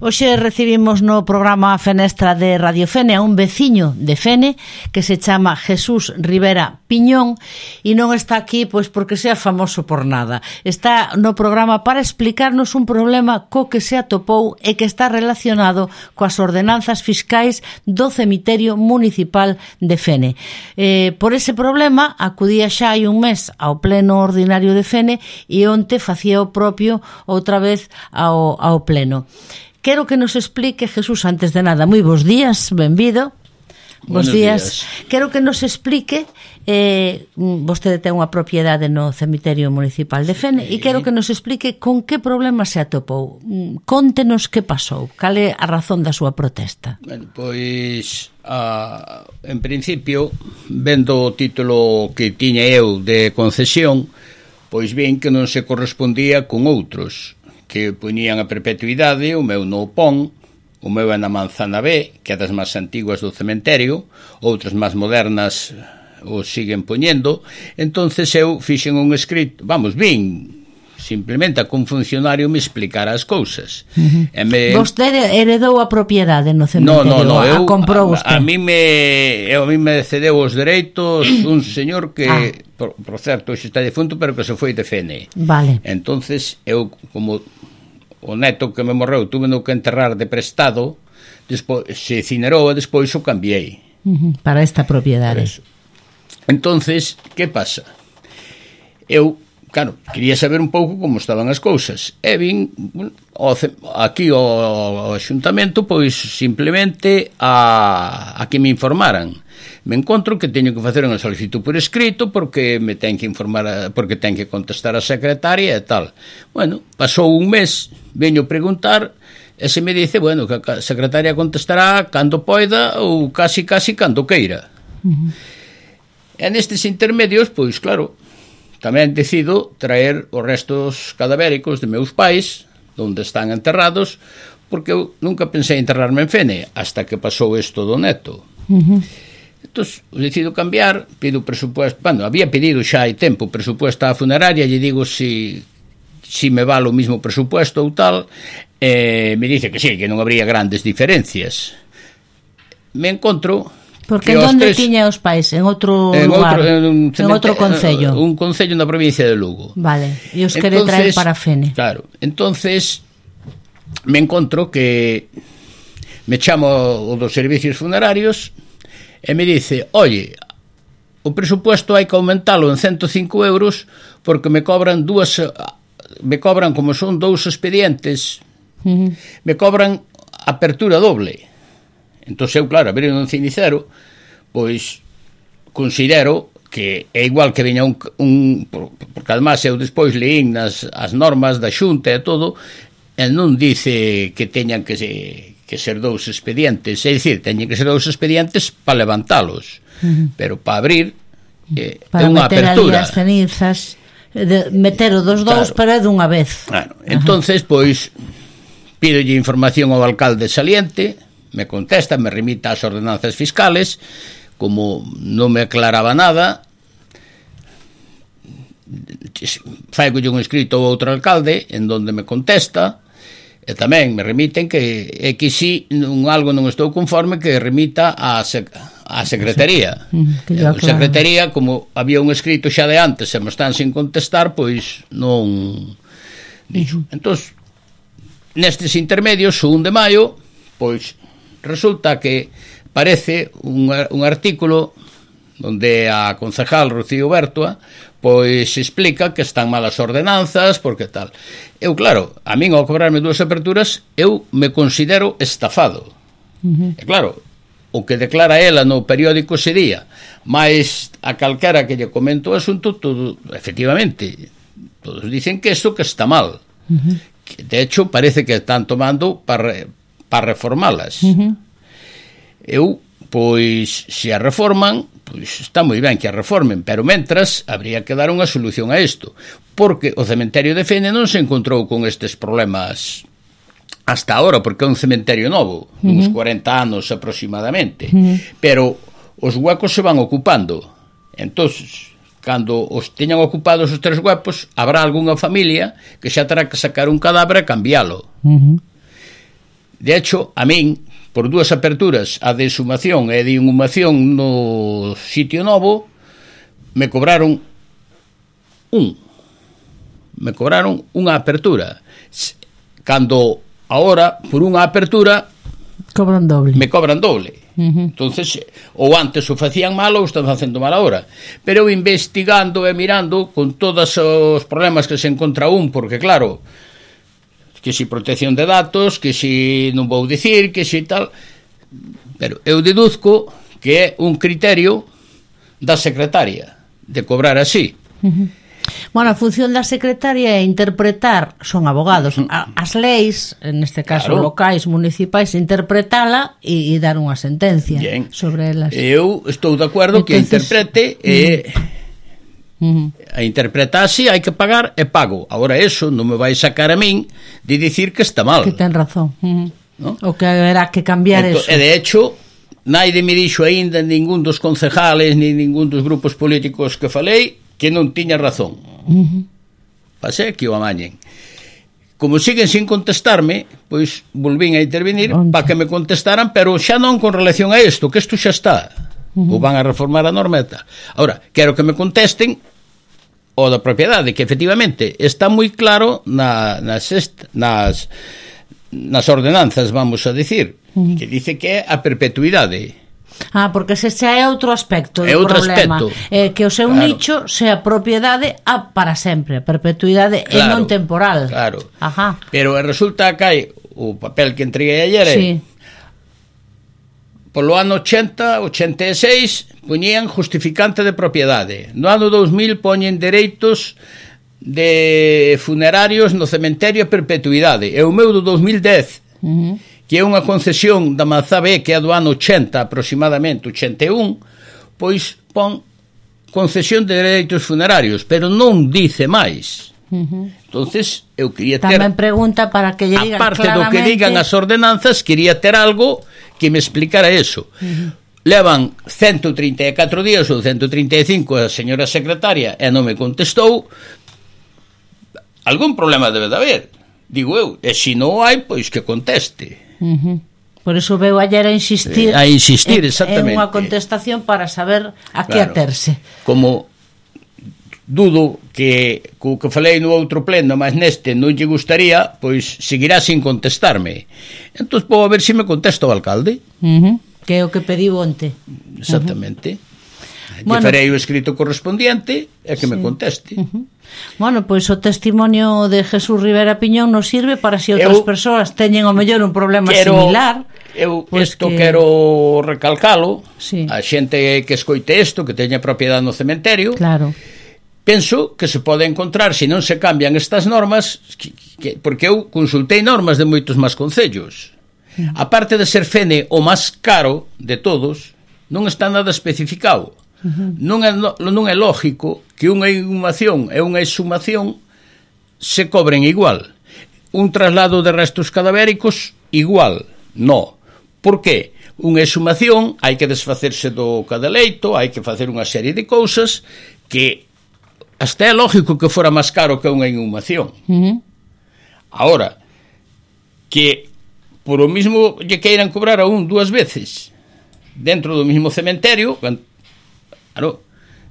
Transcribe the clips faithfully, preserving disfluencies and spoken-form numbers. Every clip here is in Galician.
Hoxe recibimos no programa Fenestra de Radio Fene a un veciño de Fene que se chama Jesús Rivera Piñón e non está aquí pois porque sea famoso por nada. Está no programa para explicarnos un problema co que se atopou e que está relacionado coas ordenanzas fiscais do cemiterio municipal de Fene. Eh, por ese problema acudía xa hai un mes ao pleno ordinario de Fene e onte facía o propio outra vez ao, ao pleno. Quero que nos explique, Jesús, antes de nada, moi bons días, benvido. Bos días. días. Quero que nos explique, eh, vostede ten unha propiedade no cemiterio municipal de Fene, sí. E quero que nos explique con que problema se atopou. Contenos que pasou, cal é a razón da súa protesta. Bueno, pois, a, en principio, vendo o título que tiña eu de concesión, pois ben que non se correspondía con outros que poñían a perpetuidade, o meu no pon, o meu é na Manzana B, que é das máis antiguas do cementerio, outras máis modernas o siguen poñendo. Entonces eu fixen un escrito, vamos, vin simplemente a que un funcionario me explicara as cousas. Uh-huh. E me... Vostede heredou a propiedade no cementerio? No, no, no, a, eu, comprou a, a, mí me, eu, a mí me cedeu os dereitos un señor que, ah. por, por certo, hoxe está defunto, pero que se foi de Fene. Vale. Entonces eu, como o neto que me morreu tuve no que enterrar de prestado, despois se cinerou e despois o cambiei. Uh-huh. Para esta propiedade. Entonces, que pasa? Eu, claro, quería saber un pouco como estaban as cousas. E vin aquí ao Axuntamento, pois simplemente a, a que me informaran. Me encontro que teño que facer unha solicitud por escrito porque me ten que informar, porque ten que contestar a secretaria e tal. Bueno, pasou un mes, veño preguntar e se me dice, bueno, que a secretaria contestará cando poida ou casi casi cando queira. Uh-huh. E nestes intermedios, pois claro, tamén decido traer os restos cadavéricos de meus pais, onde están enterrados, porque eu nunca pensei enterrarme en Fene, hasta que pasou isto do neto. Uh-huh. Entón, decido cambiar, pido presupuesto, bueno, había pedido xa hai tempo presupuesto á funeraria, lle digo si, si me vale o mismo presupuesto ou tal, e me dice que sí, que non habría grandes diferencias. Me encontro... Porque en onde tiña os pais? En outro en lugar? Outro, en, un en outro concello? Un concello na provincia de Lugo. Vale, e os quere traer para Fene. Claro, entonces me encontro que me chamo o dos servicios funerarios e me dice, oye, o presupuesto hai que aumentalo en ciento cinco euros porque me cobran dúas, me cobran como son dous expedientes, uh-huh. me cobran apertura doble. Entón eu, claro, abrir un cenicero, pois considero que é igual que viña un, un porque además eu despois leín nas as normas da Xunta e todo, e non dice que teñan que se que ser dous expedientes, é dicir, teñen que ser dous expedientes para levantalos, uh-huh. pero para abrir eh, para é unha apertura. Para meter ali as cenizas, de, meter o dos dous, claro. Para dunha vez. Claro. Entonces, pois, pídolle información ao alcalde saliente, me contesta, me remita as ordenanzas fiscales, como non me aclaraba nada, faigolle un escrito ao outro alcalde, en donde me contesta, e tamén me remiten que é que si un algo non estou conforme que remita á sec, a secretaría. Sí, a secretaría, como había un escrito xa de antes e me están sin contestar, pois non dixo. Uh-huh. Entón, nestes intermedios, o un de maio, pois resulta que parece un, un artículo onde a concejal Rocío Bertua pois explica que están malas ordenanzas, porque tal. Eu, claro, a min ao cobrarme dúas aperturas, eu me considero estafado. Uh-huh. E claro, o que declara ela no periódico ese día, máis a calquera que lle comento o asunto, todo, efectivamente, todos dicen que isto que está mal. Uh-huh. Que, de hecho, parece que están tomando para, para reformalas. Uh-huh. Eu, pois, se a reforman, pois está moi ben que a reformen, pero mentras habría que dar unha solución a isto, porque o cementerio de Fene non se encontrou con estes problemas hasta ahora, porque é un cementerio novo, uh-huh. uns cuarenta anos aproximadamente, uh-huh. pero os huecos se van ocupando. Entón, cando os teñan ocupados os tres huecos, habrá algunha familia que xa terá que sacar un cadáver e cambiálo. Uh-huh. De hecho, a min, por dúas aperturas, a de exhumación e de inhumación no sitio novo, me cobraron un. Me cobraron unha apertura. Cando ahora, por unha apertura, cobran doble. Me cobran doble. Uh-huh. Entonces, ou antes o facían mal ou están facendo mal agora. Pero eu investigando e mirando con todos os problemas que se encontra un, porque claro, que si protección de datos, que si non vou dicir, que si tal, pero eu deduzco que é un criterio da secretaria de cobrar así. Uh-huh. Bueno, a función da secretaria é interpretar, son abogados, a, as leis, neste caso claro. locais, municipais, interpretala e, e dar unha sentencia Bien. sobre elas. Eu estou de acordo Entonces, que a interprete e uh-huh. a interpretase, hai que pagar e pago. Ahora eso non me vai sacar a min de dicir que está mal. Que ten razón. Uh-huh. ¿No? O que haberá que cambiar Ento, eso. E de hecho, naide me dixo aínda ningún dos concejales ni ningún dos grupos políticos que falei que non tiña razón. Uh-huh. Pasé que o amañen. Como siguen sin contestarme, pois volvín a intervenir para que me contestaran, pero xa non con relación a isto, que isto xa está. Uh-huh. Ou van a reformar a normeta. Ahora, quero que me contesten o da propiedade, que efectivamente está moi claro na, nas, est, nas, nas ordenanzas, vamos a decir, uh-huh. que dice que é a perpetuidade. Ah, porque ese xa é outro aspecto do é outro problema. Aspecto. Eh, que o seu claro. nicho sea propiedade a para sempre, a perpetuidade claro, e non temporal. Claro. Ajá. Pero resulta que hai o papel que entreguei ayer, sí. polo ano ochenta, ochenta e seis, poñían justificante de propiedade. No ano dous mil poñen dereitos de funerarios no cementerio a perpetuidade. E o meu do dous mil dez, uh-huh. que é unha concesión da Manzabé, que é do ano ochenta aproximadamente, ochenta e un, pois pon concesión de dereitos funerarios, pero non dice máis. Uh-huh. Entonces, eu quería ter... Tamén pregunta para que lle digan aparte claramente... do que digan as ordenanzas, quería ter algo que me explicara eso. Uh-huh. Levan ciento trinta e catro días ou ciento trinta e cinco a señora secretaria e non me contestou. Algún problema debe de haber, digo eu, e se non hai, pois que conteste. Uh-huh. Por eso veu ayer a insistir a insistir, exactamente, en unha contestación para saber a que claro. aterse. Como dudo que co que falei no outro pleno, mas neste non lle gustaría, pois seguirá sin contestarme. Entón, vou a ver se me contesta o alcalde. Uh-huh. Que é o que pediu onte. Exactamente. Uh-huh. Lle bueno, farei o escrito correspondiente e que sí. me conteste. Uh-huh. Bueno, pois o testimonio de Jesús Rivera Piñón nos sirve para se outras eu, persoas teñen o mellor un problema quero, similar. Eu pues isto que... quero recalcalo, sí. a xente que escoite isto, que teña propiedade no cementerio. Claro. Penso que se pode encontrar, se non se cambian estas normas, que, que, porque eu consultei normas de moitos máis concellos. Uh-huh. A parte de ser Fene o máis caro de todos, non está nada especificado. Uh-huh. Non é, non é lógico que unha inhumación e unha exhumación se cobren igual. Un traslado de restos cadavéricos igual. No. Por qué? Unha exhumación hai que desfacerse do cadaleito, hai que facer unha serie de cousas que hasta é lógico que fora máis caro que unha inhumación. Uh-huh. Ahora, que por o mismo lle queiran cobrar a un dúas veces dentro do mismo cementerio, claro,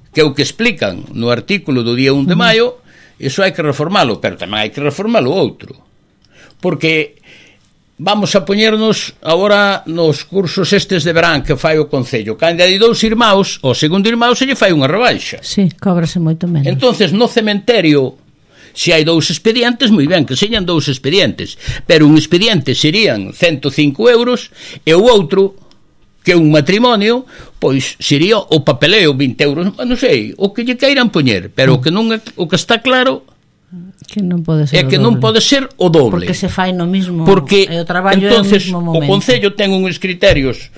que é o que explican no artículo do día un de maio, iso hai que reformalo, pero tamén hai que reformalo outro. Porque vamos a poñernos agora nos cursos estes de verán que fai o Concello. Cando hai dous irmãos, o segundo irmão se lle fai unha rebaixa. Sí, cóbrase moito menos. Entonces, no cementerio, se hai dous expedientes, moi ben, que señan dous expedientes, pero un expediente serían ciento cinco euros e o outro, que un matrimonio, pois sería o papeleo vinte euros, non sei, o que lle queiran poñer, pero o que non é, o que está claro que non pode ser é que non pode ser o doble. Porque se fai no mismo, porque e o traballo entonces, é no mesmo momento. O Concello ten uns criterios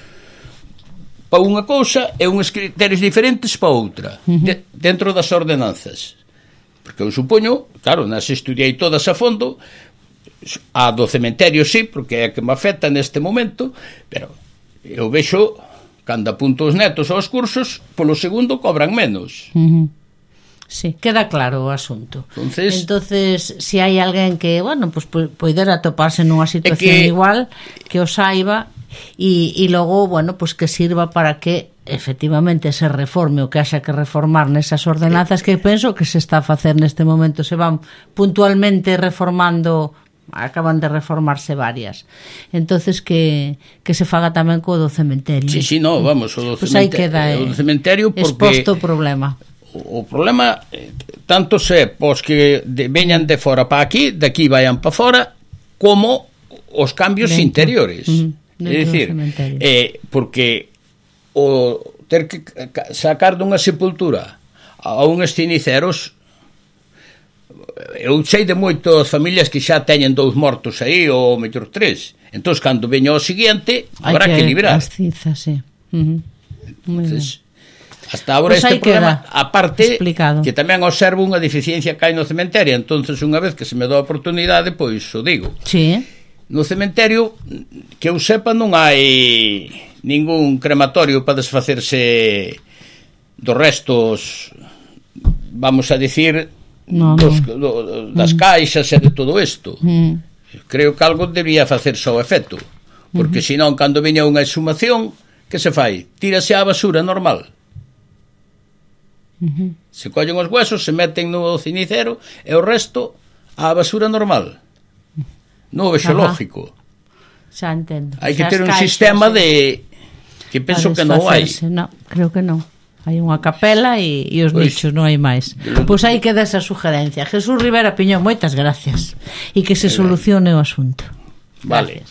para unha cousa e uns criterios diferentes para outra, uh-huh. de, dentro das ordenanzas. Porque eu supoño, claro, nas estudiei todas a fondo, a do cementerio sí, porque é a que me afecta neste momento, pero eu vexo cando apunto os netos aos cursos, polo segundo cobran menos. Uh-huh. Sí, queda claro o asunto. Entonces, Entonces, se si hai alguén que, bueno, pues poidera toparse nunha situación que, igual, que o saiba e, e logo, bueno, pues que sirva para que efectivamente se reforme o que haxa que reformar nesas ordenanzas que penso que se está a facer neste momento, se van puntualmente reformando, acaban de reformarse varias. Entonces que, que se faga tamén co do cementerio. Sí, sí, no, vamos, o do pues cementerio, queda, eh, o do cementerio porque exposto o problema. O, o problema eh, tanto se pos que de, veñan de fora para aquí, de aquí vayan para fora, como os cambios dentro, interiores. Uh-huh, é dicir, eh, porque o ter que sacar dunha sepultura a uns ceniceros, eu sei de moitas familias que xa teñen dous mortos aí ou mellor tres, entón cando veña o seguinte habrá que, que librar as cizas, sí. Uh-huh. Entonces, hasta agora pues este problema aparte explicado. Que tamén observo unha deficiencia que hai no cementerio, entonces unha vez que se me dá a oportunidade pois o digo. Sí. No cementerio que eu sepa non hai ningún crematorio para desfacerse dos restos, vamos a dicir, no, dos, no. Do, das mm. caixas e de todo isto. Mm. Creo que algo debería facerse ao efecto, porque mm-hmm. senón cando veña unha exhumación, que se fai? Tírase á basura normal. Mm-hmm. Se collen os huesos, se meten no cenicero e o resto á basura normal. Non vexo lógico. Xa entendo. Hai que ter un sistema de que penso que non hai. No, creo que non. Hai unha capela e, e os pois, nichos, non hai máis. Pois aí queda esa sugerencia. Jesús Rivera Piñón, moitas gracias. E que se solucione o asunto. Vale. Gracias.